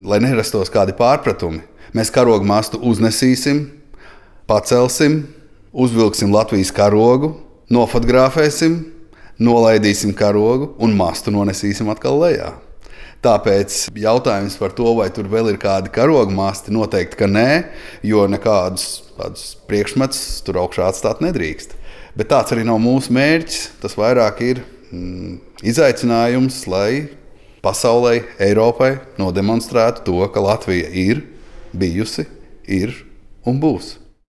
lai nerastos kādi pārpratumi, mēs karogu mastu uznesīsim, pacelsim, uzvilksim Latvijas karogu, nofotografēsim, nolaidīsim karogu un mastu nonesīsim atkal lejā. Tāpēc jautājums par to, vai tur vēl ir kādi karogu masti, noteikti, ka nē, jo nekādus priekšmetus tur augšā atstāt nedrīkst. Bet tāds arī nav mūsu mērķis. Tas vairāk ir izaicinājums, lai pasaulē, Eiropai nodemonstrētu to, ka Latvija ir bijusi, ir un būs.